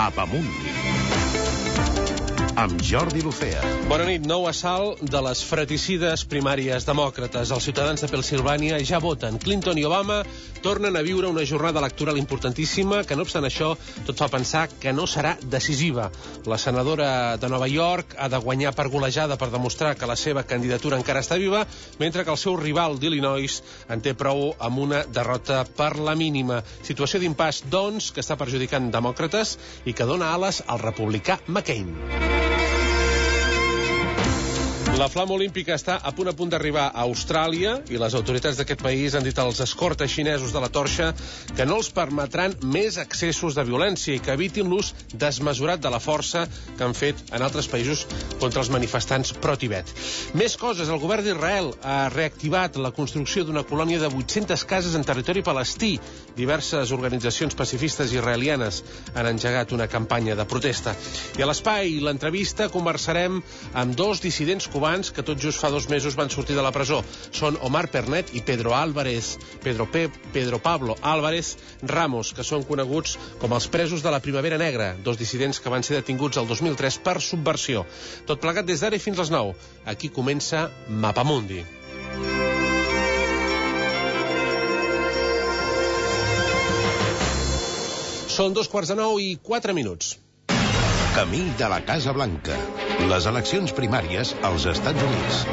Mapamundi amb Jordi Lucea. Bona nit. Nou assalt de les fratricides primàries demòcrates. Els ciutadans de Pennsilvània ja voten. Clinton i Obama tornen a viure una jornada electoral importantíssima que, no obstant això, tot fa pensar que no serà decisiva. La senadora de Nova York ha de guanyar per golejada per demostrar que la seva candidatura encara està viva, mentre que el seu rival d'Illinois en té prou amb una derrota per la mínima. Situació d'impàs, doncs, que està perjudicant demòcrates i que dona ales al republicà McCain. La flama olímpica està a punt d'arribar a Austràlia i les autoritats d'aquest país han dit als escortes xinesos de la torxa que no els permetran més excessos de violència i que evitin l'ús desmesurat de la força que han fet en altres països contra els manifestants pro-Tibet. Més coses. El govern d'Israel ha reactivat la construcció d'una colònia de 800 cases en territori palestí. Diverses organitzacions pacifistes israelianes han engegat una campanya de protesta. I a l'espai, l'entrevista, conversarem amb dos dissidents cubans que tot just fa 2 mesos van sortir de la presó. Són Omar Pernet i Pedro Pablo Álvarez Ramos, que són coneguts com els presos de la Primavera Negra, dos dissidents que van ser detinguts el 2003 per subversió. Tot plegat des d'ara i fins les 9. Aquí comença Mapamundi. Són 8:04. Camí de la Casa Blanca. Les eleccions primàries als Estats Units.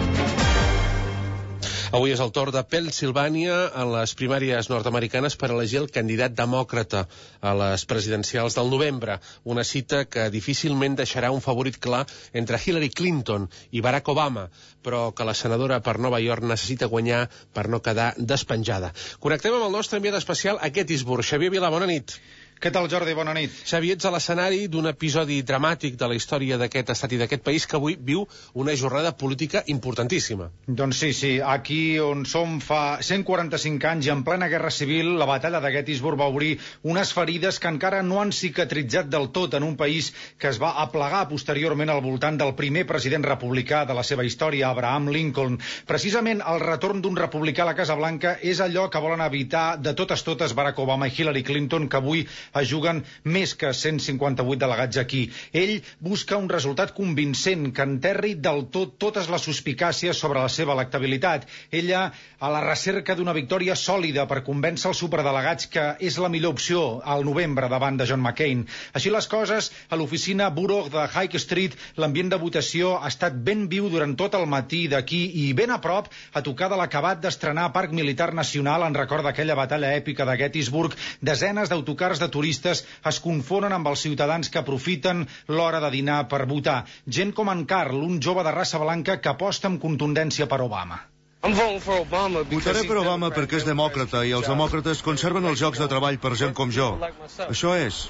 Avui és el torn de Pennsilvània en les primàries nord-americanes per elegir el candidat demòcrata a les presidencials del novembre. Una cita que difícilment deixarà un favorit clar entre Hillary Clinton i Barack Obama, però que la senadora per Nova York necessita guanyar per no quedar despenjada. Connectem amb el nostre enviat especial a Gettysburg. Xavier Vila, bona nit. Què tal, Jordi? Bona nit. Xavier, ets a l'escenari d'un episodi dramàtic de la història d'aquest estat i d'aquest país que avui viu una jornada política importantíssima. Doncs sí. Aquí on som fa 145 anys i en plena guerra civil, la batalla de Gettysburg va obrir unes ferides que encara no han cicatritzat del tot en un país que es va aplegar posteriorment al voltant del primer president republicà de la seva història, Abraham Lincoln. Precisament el retorn d'un republicà a la Casa Blanca és allò que volen evitar de totes Barack Obama i Hillary Clinton, que avui es juguen més que 158 delegats aquí. Ell busca un resultat convincent que enterri del tot totes les suspicàcies sobre la seva electabilitat. Ella a la recerca d'una victòria sòlida per convèncer els superdelegats que és la millor opció al novembre davant de John McCain. Així les coses, a l'oficina Borough de High Street, l'ambient de votació ha estat ben viu durant tot el matí d'aquí i ben a prop, a tocar de l'acabat d'estrenar Parc Militar Nacional en record d'aquella batalla èpica de Gettysburg. Desenes d'autocars de turistes es confonen amb els ciutadans que aprofiten l'hora de dinar per votar. Gent com en Carl, un jove de raça blanca que aposta amb contundència per Obama. Votaré per Obama perquè és demòcrata i els demòcrates conserven els llocs de treball per gent com jo. Això és.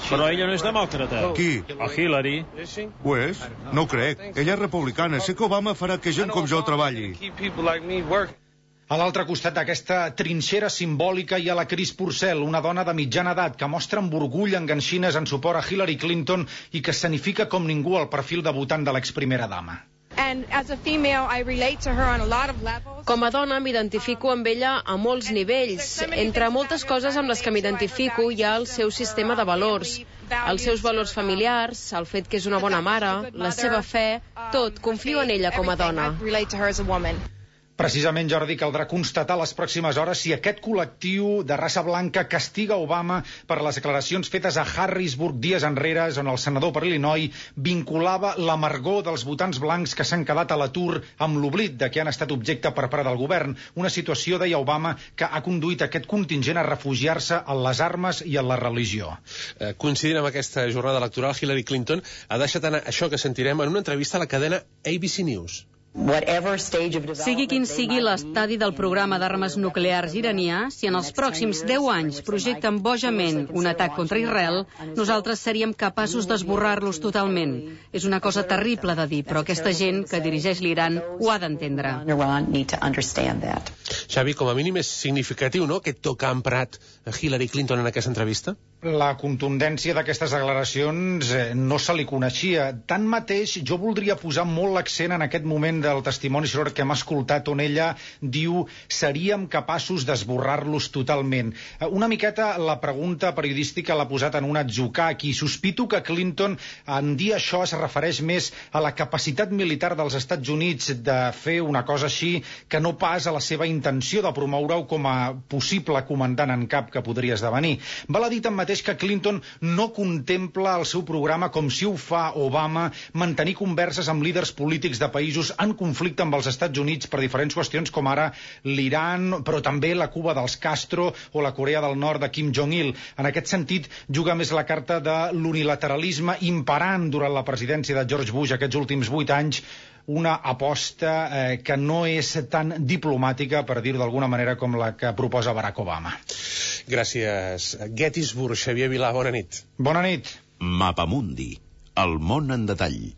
Però ella no és demòcrata. Qui? O Hillary. Ho és? No ho crec. Ella és republicana. Sé que Obama farà que gent com jo treballi. A l'altre costat d'aquesta trinxera simbòlica hi ha la Chris Purcell, una dona de mitjana edat que mostra amb orgull enganxines en suport a Hillary Clinton i que escenifica com ningú el perfil de votant de l'exprimera dama. Com a dona m'identifico amb ella a molts nivells. Entre moltes coses amb les que m'identifico hi ha el seu sistema de valors, els seus valors familiars, el fet que és una bona mare, la seva fe, tot. Confio en ella com a dona. Precisament, Jordi, caldrà constatar les pròximes hores si aquest col·lectiu de raça blanca castiga Obama per les declaracions fetes a Harrisburg dies enrere, on el senador per Illinois vinculava l'amargor dels votants blancs que s'han quedat a l'atur amb l'oblit de que han estat objecte per part del govern. Una situació, deia Obama, que ha conduït aquest contingent a refugiar-se en les armes i en la religió. Coincidint amb aquesta jornada electoral, Hillary Clinton ha deixat anar això que sentirem en una entrevista a la cadena ABC News. Sigui quin sigui l'estadi del programa d'armes nuclears iranià, si en els pròxims 10 anys projecten bojament un atac contra Israel, nosaltres seríem capaços d'esborrar-los totalment. És una cosa terrible de dir, però aquesta gent que dirigeix l'Iran ho ha d'entendre. Xavi, com a mínim és significatiu, no?, aquest to que ha emprat Hillary Clinton en aquesta entrevista? La contundència d'aquestes declaracions no se li coneixia. Tanmateix, jo voldria posar molt l'accent en aquest moment del testimoni que hem escoltat, on ella diu seríem capaços d'esborrar-los totalment. Una miqueta la pregunta periodística l'ha posat en un atzucac i sospito que Clinton, en dir això, es refereix més a la capacitat militar dels Estats Units de fer una cosa així que no pas a la seva intenció de promoure-ho com a possible comandant en cap que podria esdevenir. Val a dir tanmateix que Clinton no contempla el seu programa com si ho fa Obama, mantenir converses amb líders polítics de països en conflicte amb els Estats Units per diferents qüestions com ara l'Iran, però també la Cuba dels Castro o la Corea del Nord de Kim Jong-il. En aquest sentit, juga més la carta de l'unilateralisme imperant durant la presidència de George Bush aquests últims 8 anys, una aposta que no és tan diplomàtica, per dir-ho d'alguna manera, com la que proposa Barack Obama. Gràcies. Gettysburg, Xavier Vilà, bona nit. Bona nit. Mapamundi, el món en detall.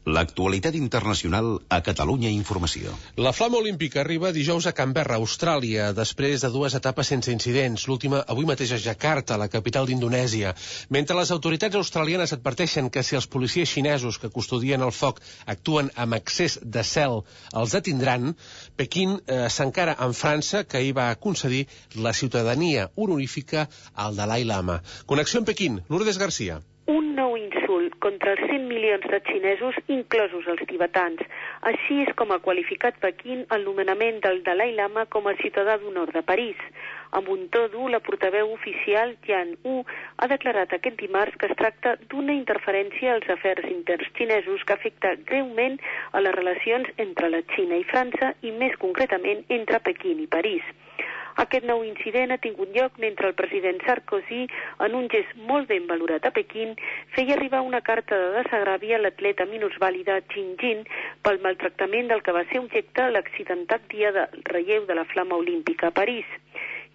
L'actualitat internacional a Catalunya Informació. La flama olímpica arriba dijous a Canberra, Austràlia, després de 2 etapes sense incidents. L'última avui mateix a Jakarta, la capital d'Indonèsia. Mentre les autoritats australianes adverteixen que si els policies xinesos que custodien el foc actuen amb excés de zel, els detindran, Pequín s'encara amb França, que hi va concedir la ciutadania honorífica al Dalai Lama. Connexió amb Pequín, Lourdes Garcia. Un nou insult contra els 100 milions de xinesos, inclosos els tibetans. Així és com ha qualificat Pequín el nomenament del Dalai Lama com a ciutadà d'honor de París. Amb un to dur, la portaveu oficial Yan Wu ha declarat aquest dimarts que es tracta d'una interferència als afers interns xinesos que afecta greument a les relacions entre la Xina i França i més concretament entre Pequín i París. Aquest nou incident ha tingut lloc mentre el president Sarkozy, en un gest molt ben valorat a Pequín, feia arribar una carta de desagravi a l'atleta minusvàlida Jin Jin pel maltractament del que va ser objecte l'accidentat dia del relleu de la flama olímpica a París.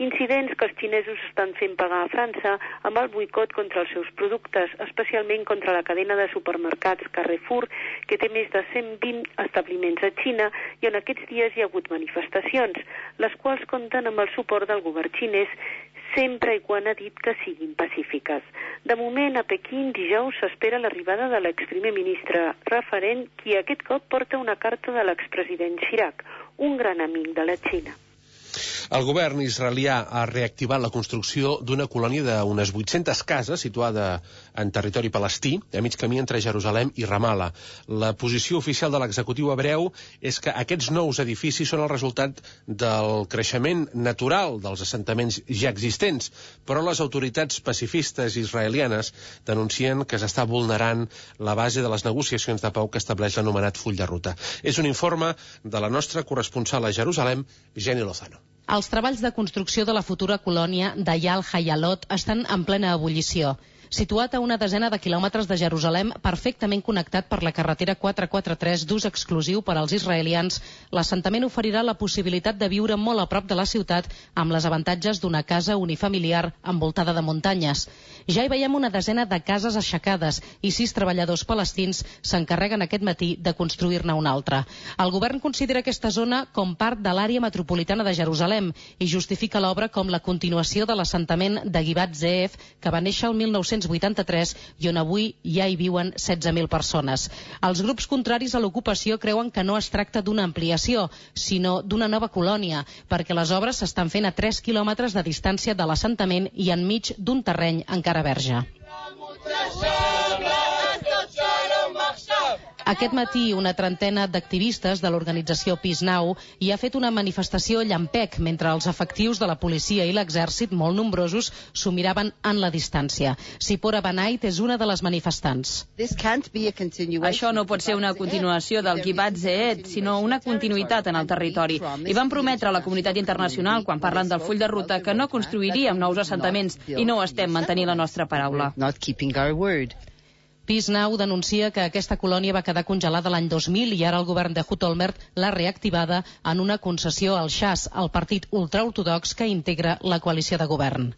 Incidents que els xinesos estan fent pagar a França amb el boicot contra els seus productes, especialment contra la cadena de supermercats Carrefour, que té més de 120 establiments a Xina i en aquests dies hi ha hagut manifestacions, les quals compten amb el suport del govern xinès, sempre i quan ha dit que siguin pacífiques. De moment, a Pequín, dijous, s'espera l'arribada de l'exprimer ministre referent, qui aquest cop porta una carta de l'expresident Chirac, un gran amic de la Xina. El govern israelià ha reactivat la construcció d'una colònia d'unes 800 cases situada en territori palestí, a mig camí entre Jerusalem i Ramallah. La posició oficial de l'executiu hebreu és que aquests nous edificis són el resultat del creixement natural dels assentaments ja existents, però les autoritats pacifistes israelianes denuncien que s'està vulnerant la base de les negociacions de pau que estableix l'anomenat full de ruta. És un informe de la nostra corresponsal a Jerusalem, Jenny Lozano. Els treballs de construcció de la futura colònia d'Eyal Hayalot estan en plena ebullició. Situat a una desena de quilòmetres de Jerusalem, perfectament connectat per la carretera 443 d'ús exclusiu per als israelians, l'assentament oferirà la possibilitat de viure molt a prop de la ciutat amb les avantatges d'una casa unifamiliar envoltada de muntanyes. Ja hi veiem una desena de cases aixecades i 6 treballadors palestins s'encarreguen aquest matí de construir-ne una altra. El govern considera aquesta zona com part de l'àrea metropolitana de Jerusalem i justifica l'obra com la continuació de l'assentament de Givat Ze'ev, que va néixer el 1983 i on avui ja hi viuen 16.000 persones. Els grups contraris a l'ocupació creuen que no es tracta d'una ampliació, sinó d'una nova colònia, perquè les obres s'estan fent a 3 quilòmetres de distància de l'assentament i enmig d'un terreny encara verge. Aquest matí, una trentena d'activistes de l'organització Peace Now hi ha fet una manifestació llampec mentre els efectius de la policia i l'exèrcit, molt nombrosos, s'ho miraven en la distància. Sipora Banait és una de les manifestants. Això no pot ser una continuació del Givat Ze'ev, sinó una continuïtat en el territori. I van prometre a la comunitat internacional, quan parlen del full de ruta, que no construiríem nous assentaments i no estem mantenint la nostra paraula. Peace Now denuncia que aquesta colònia va quedar congelada l'any 2000 i ara el govern de Ehud Olmert l'ha reactivada en una concessió al Shas, el partit ultraortodox que integra la coalició de govern.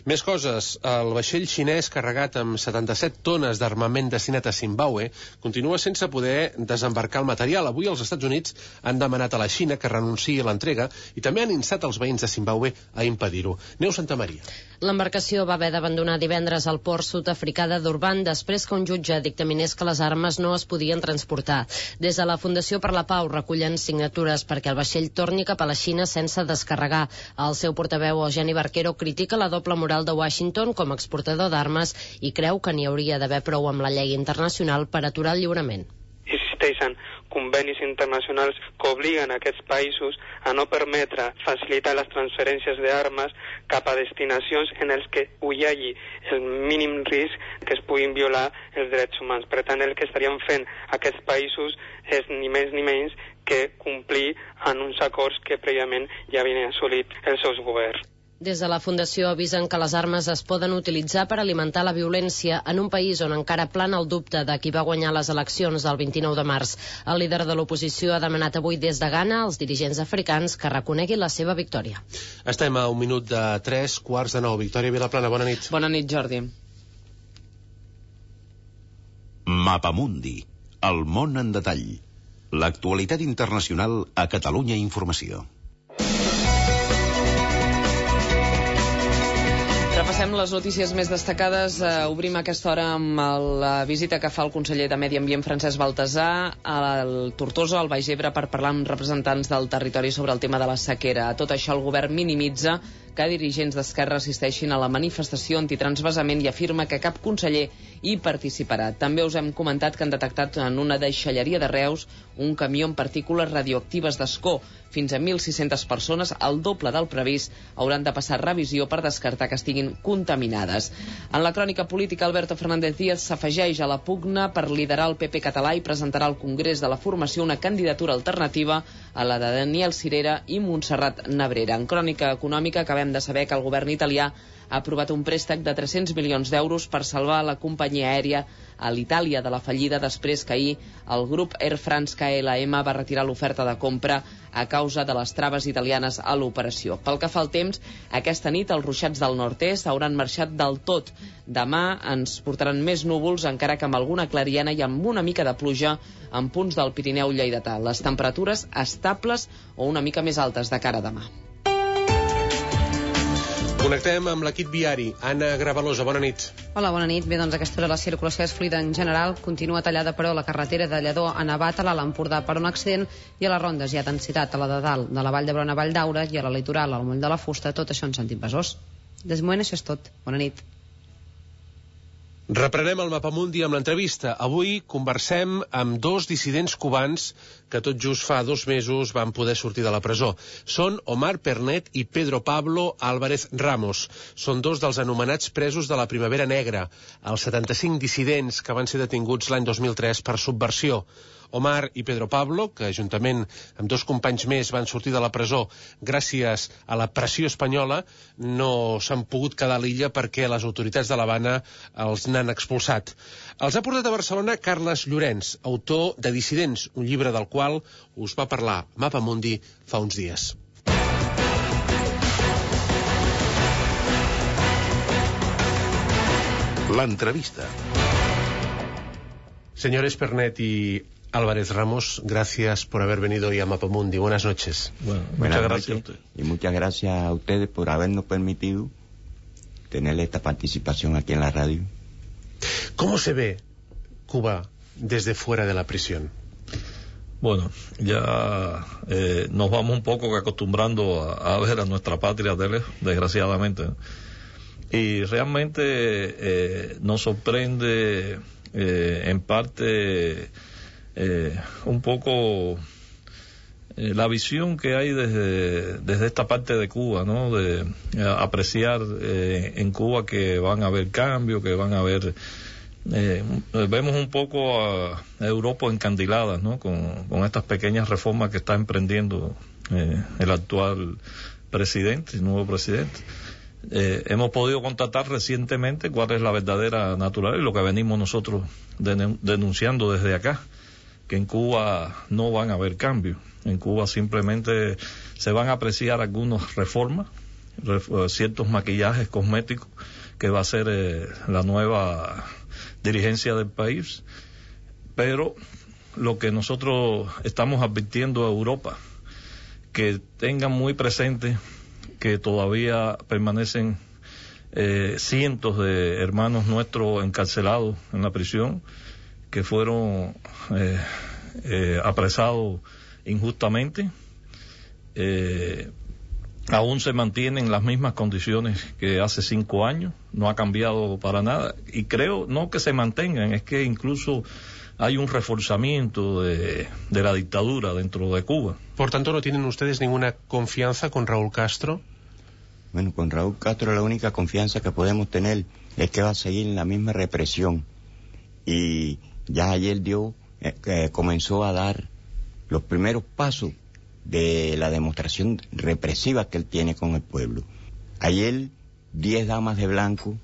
Més coses. El vaixell xinès carregat amb 77 tones d'armament destinat a Zimbabue continua sense poder desembarcar el material. Avui els Estats Units han demanat a la Xina que renunciï a l'entrega i també han instat els veïns de Zimbabue a impedir-ho. Neus Santamaria. L'embarcació va haver d'abandonar divendres al port sud-africà de Durban després que un jutge dictaminés que les armes no es podien transportar. Des de la Fundació per la Pau recullen signatures perquè el vaixell torni cap a la Xina sense descarregar. El seu portaveu, Eugeni Barquero, critica la doble moral de Washington com a exportador d'armes i creu que n'hi hauria d'haver prou amb la llei internacional per aturar el lliurament. Existeixen convenis internacionals que obliguen a aquests països a no permetre facilitar les transferències d'armes cap a destinacions en els que hi hagi el mínim risc que es puguin violar els drets humans. Per tant, el que estaríem fent aquests països és ni més ni menys que complir en uns acords que prèviament ja havien assolit els seus governs. Des de la Fundació avisen que les armes es poden utilitzar per alimentar la violència en un país on encara plana el dubte de qui va guanyar les eleccions del 29 de març. El líder de l'oposició ha demanat avui des de Ghana als dirigents africans que reconeguin la seva victòria. Estem a 1 minut de 3:45. Victòria Vilaplana, bona nit. Bona nit, Jordi. Mapamundi, el món en detall. L'actualitat internacional a Catalunya Informació. Repassem les notícies més destacades. Obrim aquesta hora amb la visita que fa el conseller de Medi Ambient, Francesc Baltasar, al Tortosa, al Baix Ebre, per parlar amb representants del territori sobre el tema de la sequera. A tot això, el govern minimitza que dirigents d'Esquerra assisteixin a la manifestació antitransvasament i afirma que cap conseller hi participarà. També us hem comentat que han detectat en una deixalleria de Reus un camió amb partícules radioactives d'Ascó. Fins a 1.600 persones, el doble del previst, hauran de passar revisió per descartar que estiguin contaminades. En la crònica política, Alberto Fernández Díaz s'afegeix a la pugna per liderar el PP català i presentarà al Congrés de la Formació una candidatura alternativa a la de Daniel Sirera i Montserrat Nebrera. En crònica econòmica acabem de saber que el govern italià ha aprovat un préstec de 300 milions d'euros per salvar la companyia aèria a l'Itàlia de la fallida després que ahir el grup Air France KLM va retirar l'oferta de compra a causa de les traves italianes a l'operació. Pel que fa al temps, aquesta nit els ruixats del nord-est hauran marxat del tot. Demà ens portaran més núvols, encara que amb alguna clariana i amb una mica de pluja en punts del Pirineu lleidatà. Les temperatures estables o una mica més altes de cara a demà. Connectem amb l'equip viari. Anna Gravalosa, bona nit. Hola, bona nit. Bé, doncs aquesta hora la circulació és fluida en general. Continua tallada, però, la carretera de Lledó a Navat, a l'Alt Empordà, per un accident, i a les rondes hi ha densitat a la de dalt de la Vall d'Hebron a Vall d'Aura i a la litoral, al Moll de la Fusta, tot això en sentit Besòs. Des moment això és tot. Bona nit. Reprenem el Mapamundi amb l'entrevista. Avui conversem amb dos dissidents cubans que tot just fa 2 mesos van poder sortir de la presó. Són Omar Pernet i Pedro Pablo Álvarez Ramos. Són dos dels anomenats presos de la Primavera Negra, els 75 dissidents que van ser detinguts l'any 2003 per subversió. Omar i Pedro Pablo, que juntament amb 2 companys més van sortir de la presó gràcies a la pressió espanyola, no s'han pogut quedar a l'illa perquè les autoritats de l'Havana els n'han expulsat. Els ha portat a Barcelona Carles Llorenç, autor de Dissidents, un llibre del qual us va parlar Mapamundi fa uns dies. L'entrevista. Señores Pernet y Álvarez Ramos, gracias por haber venido hoy a Mapamundi. Buenas noches. Bueno, muchas gracias a usted. Y muchas gracias a ustedes por habernos permitido tener esta participación aquí en la radio. ¿Cómo se ve Cuba desde fuera de la prisión? Bueno, ya nos vamos un poco acostumbrando a ver a nuestra patria de lejos, desgraciadamente. Y realmente nos sorprende en parte un poco la visión que hay desde esta parte de Cuba, ¿no? De apreciar en Cuba que van a haber cambios, que van a haber... vemos un poco a Europa encandilada, ¿no? Con estas pequeñas reformas que está emprendiendo el actual presidente, el nuevo presidente. Hemos podido constatar recientemente cuál es la verdadera naturaleza y lo que venimos nosotros denunciando desde acá, que en Cuba no van a haber cambios. En Cuba simplemente se van a apreciar algunas reformas ciertos maquillajes cosméticos que va a ser la nueva dirigencia del país. Pero lo que nosotros estamos advirtiendo a Europa, que tengan muy presente que todavía permanecen cientos de hermanos nuestros encarcelados en la prisión, que fueron apresados injustamente. Aún se mantienen las mismas condiciones que hace 5 años, no ha cambiado para nada, y creo no que se mantengan, es que incluso hay un reforzamiento de la dictadura dentro de Cuba. Por tanto, ¿no tienen ustedes ninguna confianza con Raúl Castro? Bueno, con Raúl Castro la única confianza que podemos tener es que va a seguir en la misma represión, y ya ayer comenzó a dar los primeros pasos de la demostración represiva que él tiene con el pueblo. Ayer 10 damas de blanco,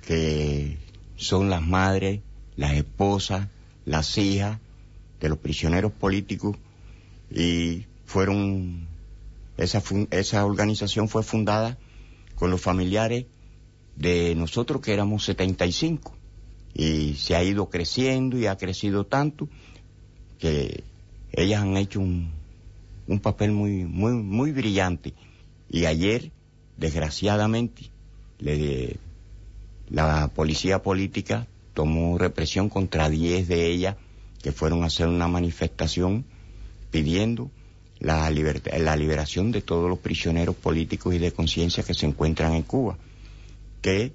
que son las madres, las esposas, las hijas de los prisioneros políticos, y esa organización fue fundada con los familiares de nosotros, que éramos 75, y se ha ido creciendo y ha crecido tanto que ellas han hecho un papel muy brillante. Y ayer, desgraciadamente, la policía política tomó represión contra 10 de ellas, que fueron a hacer una manifestación pidiendo la liberación de todos los prisioneros políticos y de conciencia que se encuentran en Cuba, que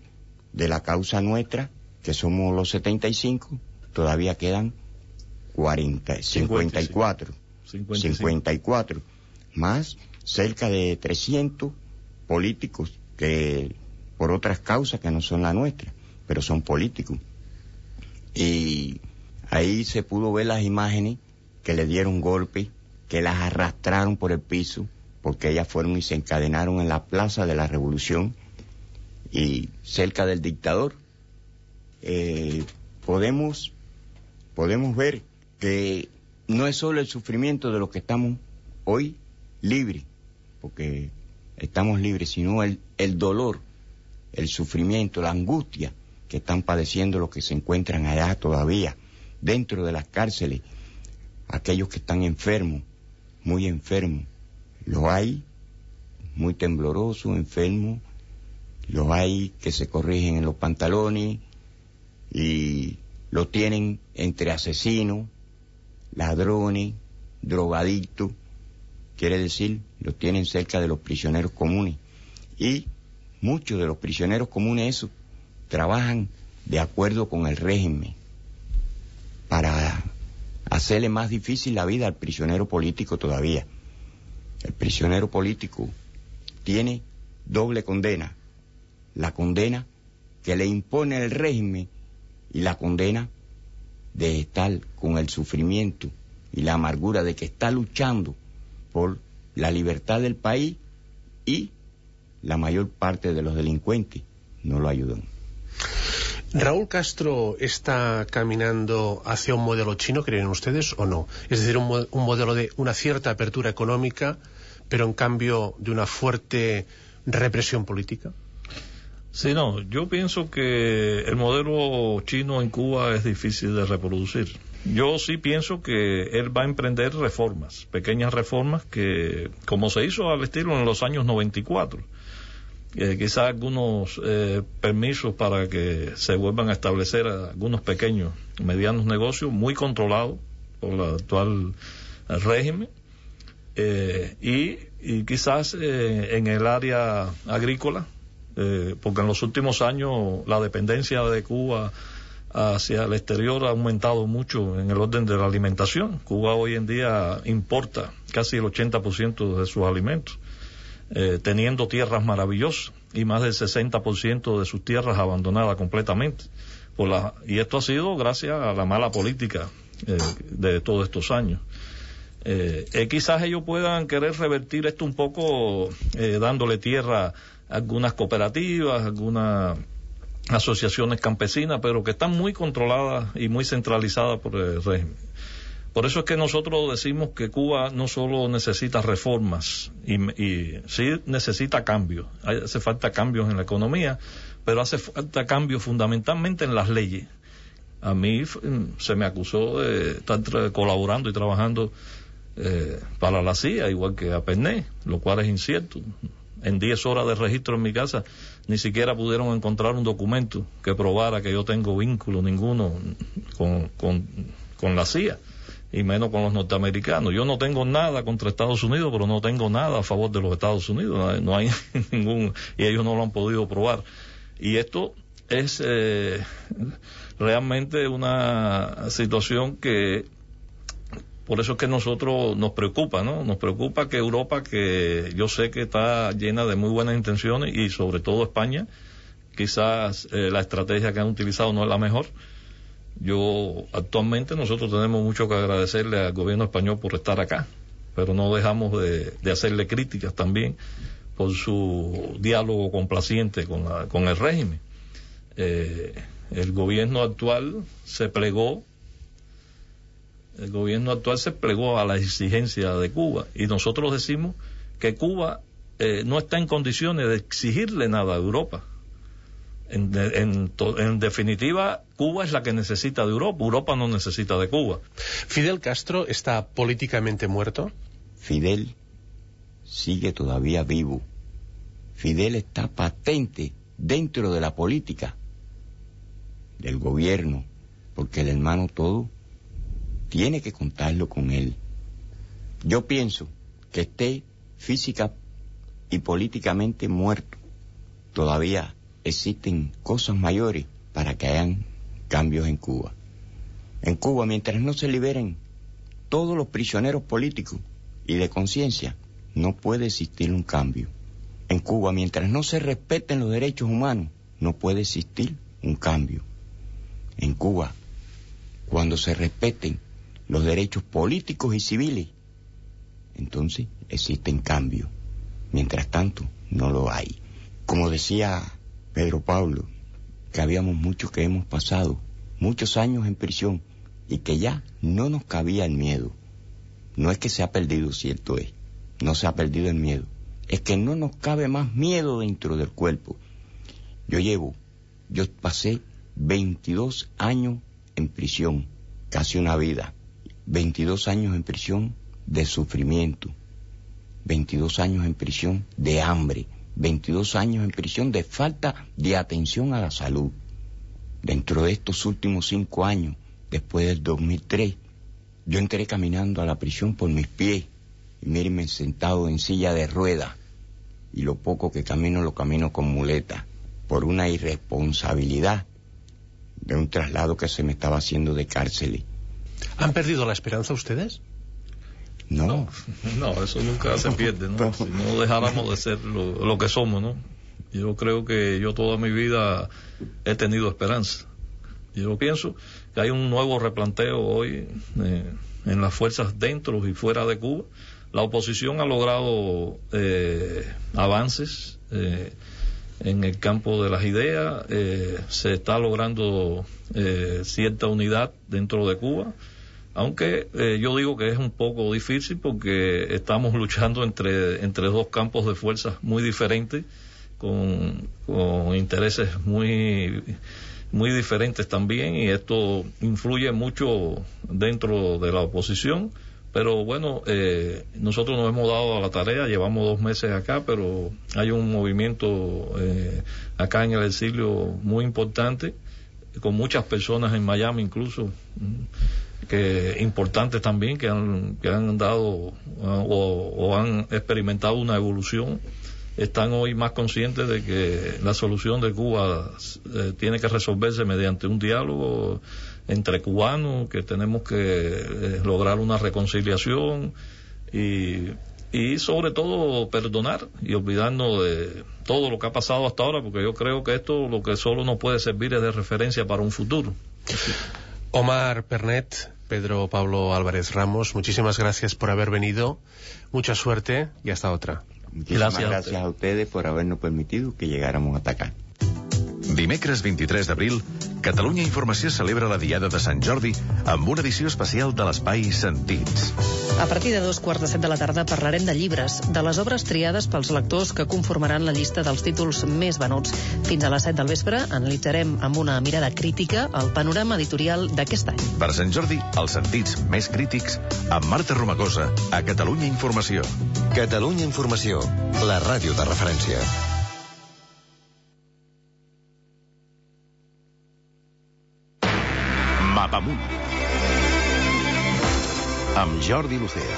de la causa nuestra, que somos los 75, todavía quedan 54, más cerca de 300 políticos que por otras causas que no son la nuestra, pero son políticos. Y ahí se pudo ver las imágenes que le dieron golpes, que las arrastraron por el piso, porque ellas fueron y se encadenaron en la Plaza de la Revolución y cerca del dictador. Podemos ver que no es solo el sufrimiento de los que estamos hoy libres, porque estamos libres, sino el dolor, el sufrimiento, la angustia que están padeciendo los que se encuentran allá todavía, dentro de las cárceles, aquellos que están enfermos, muy enfermos. Los hay muy temblorosos, enfermos, los hay que se corrigen en los pantalones y lo tienen entre asesinos, ladrones, drogadictos, quiere decir, lo tienen cerca de los prisioneros comunes. Y muchos de los prisioneros comunes esos trabajan de acuerdo con el régimen para hacerle más difícil la vida al prisionero político todavía. El prisionero político tiene doble condena: la condena que le impone el régimen y la condena de estar con el sufrimiento y la amargura de que está luchando por la libertad del país, y la mayor parte de los delincuentes no lo ayudan. ¿Raúl Castro está caminando hacia un modelo chino, creen ustedes, o no? Es decir, un modelo de una cierta apertura económica, pero en cambio de una fuerte represión política. Sí, no, yo pienso que el modelo chino en Cuba es difícil de reproducir. Yo sí pienso que él va a emprender reformas, pequeñas reformas que, como se hizo al estilo en los años 94, quizás algunos permisos para que se vuelvan a establecer algunos pequeños, medianos negocios muy controlados por el actual régimen, y quizás en el área agrícola, porque en los últimos años la dependencia de Cuba hacia el exterior ha aumentado mucho en el orden de la alimentación. Cuba hoy en día importa casi el 80% de sus alimentos, teniendo tierras maravillosas y más del 60% de sus tierras abandonadas completamente. Y esto ha sido gracias a la mala política de todos estos años. Quizás ellos puedan querer revertir esto un poco, dándole tierra a algunas cooperativas, algunas asociaciones campesinas, pero que están muy controladas y muy centralizadas por el régimen. Por eso es que nosotros decimos que Cuba no solo necesita reformas, y sí necesita cambios. Hace falta cambios en la economía, pero hace falta cambios fundamentalmente en las leyes. A mí se me acusó de estar colaborando y trabajando para la CIA, igual que a Pernet, lo cual es incierto. En 10 horas de registro en mi casa ni siquiera pudieron encontrar un documento que probara que yo tengo vínculo ninguno con la CIA, y menos con los norteamericanos. Yo no tengo nada contra Estados Unidos, pero no tengo nada a favor de los Estados Unidos. No hay ningún, y ellos no lo han podido probar. Y esto es realmente una situación que, por eso es que nosotros nos preocupa, ¿no? Nos preocupa que Europa, que yo sé que está llena de muy buenas intenciones, y sobre todo España, quizás la estrategia que han utilizado no es la mejor. Actualmente nosotros tenemos mucho que agradecerle al gobierno español por estar acá, pero no dejamos de hacerle críticas también por su diálogo complaciente con el régimen. El gobierno actual se plegó a la exigencia de Cuba, y nosotros decimos que Cuba no está en condiciones de exigirle nada a Europa. En definitiva, Cuba es la que necesita de Europa. Europa no necesita de Cuba. ¿Fidel Castro está políticamente muerto? Fidel sigue todavía vivo. Fidel está patente dentro de la política, del gobierno, porque el hermano todo tiene que contarlo con él. Yo pienso que esté física y políticamente muerto. Todavía existen cosas mayores para que hayan cambios en Cuba. En Cuba, mientras no se liberen todos los prisioneros políticos y de conciencia, no puede existir un cambio. En Cuba, mientras no se respeten los derechos humanos, no puede existir un cambio. En Cuba, cuando se respeten los derechos políticos y civiles, entonces existen cambios. Mientras tanto, no lo hay. Como decía Pedro Pablo, que habíamos muchos que hemos pasado muchos años en prisión y que ya no nos cabía el miedo. No es que se ha perdido, cierto es, no se ha perdido el miedo, es que no nos cabe más miedo dentro del cuerpo. Yo pasé 22 años en prisión, casi una vida, 22 años en prisión de sufrimiento, 22 años en prisión de hambre, 22 años en prisión de falta de atención a la salud. Dentro de estos últimos 5 años, después del 2003, yo entré caminando a la prisión por mis pies, y mírenme sentado en silla de ruedas, y lo poco que camino lo camino con muleta, por una irresponsabilidad de un traslado que se me estaba haciendo de cárceles. ¿Han perdido la esperanza ustedes? No, eso nunca se pierde, ¿no? Si no dejáramos de ser lo que somos, ¿no? Yo creo que yo toda mi vida he tenido esperanza. Yo pienso que hay un nuevo replanteo hoy en las fuerzas dentro y fuera de Cuba. La oposición ha logrado avances en el campo de las ideas, se está logrando cierta unidad dentro de Cuba, aunque yo digo que es un poco difícil porque estamos luchando entre dos campos de fuerzas muy diferentes, con intereses muy diferentes también, y esto influye mucho dentro de la oposición. Pero bueno, nosotros nos hemos dado a la tarea, llevamos 2 meses acá, pero hay un movimiento acá en el exilio muy importante, con muchas personas en Miami incluso, que importantes también, que han dado o han experimentado una evolución. Están hoy más conscientes de que la solución de Cuba tiene que resolverse mediante un diálogo entre cubanos, que tenemos que lograr una reconciliación y sobre todo perdonar y olvidarnos de todo lo que ha pasado hasta ahora, porque yo creo que esto lo que solo nos puede servir es de referencia para un futuro. Omar Pernet, Pedro Pablo Álvarez Ramos, muchísimas gracias por haber venido, mucha suerte y hasta otra. Muchísimas gracias a ustedes por habernos permitido que llegáramos hasta acá. Dimecres 23 d'abril, Catalunya Informació celebra la Diada de Sant Jordi amb una edició especial de l'Espai Sentits. A partir de 2:15 de la tarda parlarem de llibres, de les obres triades pels lectors que conformaran la llista dels títols més venuts. Fins a les 7 del vespre analitzarem amb una mirada crítica el panorama editorial d'aquest any. Per Sant Jordi, els sentits més crítics amb Marta Romagosa a Catalunya Informació. Catalunya Informació, la ràdio de referència. Mapamunt amb Jordi Lucea.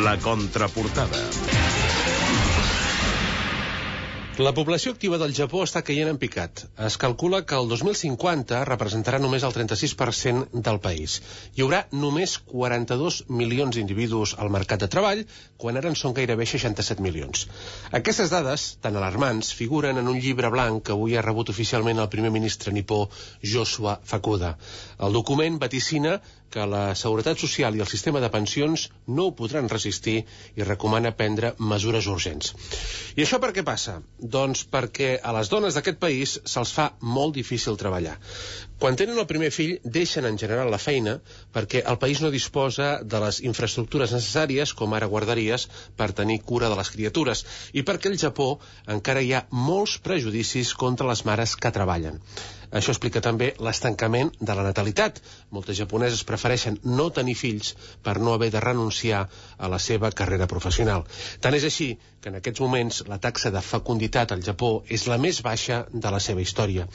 La contraportada. La població activa del Japó està caient en picat. Es calcula que el 2050 representarà només el 36% del país. Hi haurà només 42 milions d'individus al mercat de treball, quan ara en són gairebé 67 milions. Aquestes dades, tan alarmants, figuren en un llibre blanc que avui ha rebut oficialment el primer ministre nipó Yoshua Fukuda. El document vaticina que la Seguretat Social i el sistema de pensions no ho podran resistir i recomana prendre mesures urgents. I això per què passa? Doncs perquè a les dones d'aquest país se'ls fa molt difícil treballar. Quan tenen el primer fill, deixen en general la feina perquè el país no disposa de les infraestructures necessàries, com ara guarderies, per tenir cura de les criatures, i perquè al Japó encara hi ha molts prejudicis contra les mares que treballen. Això explica també l'estancament de la natalitat. Moltes japoneses prefereixen no tenir fills per no haver de renunciar a la seva carrera professional. Tant és així que en aquests moments la taxa de fecunditat al Japó és la més baixa de la seva història.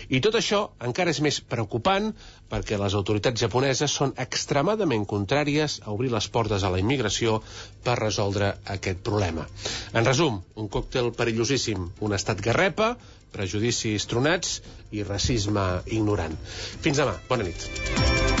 I tot això encara és més preocupant perquè les autoritats japoneses són extremadament contràries a obrir les portes a la immigració per resoldre aquest problema. En resum, un còctel perillosíssim, un estat garrepa, prejudicis tronats i racisme ignorant. Fins demà. Bona nit.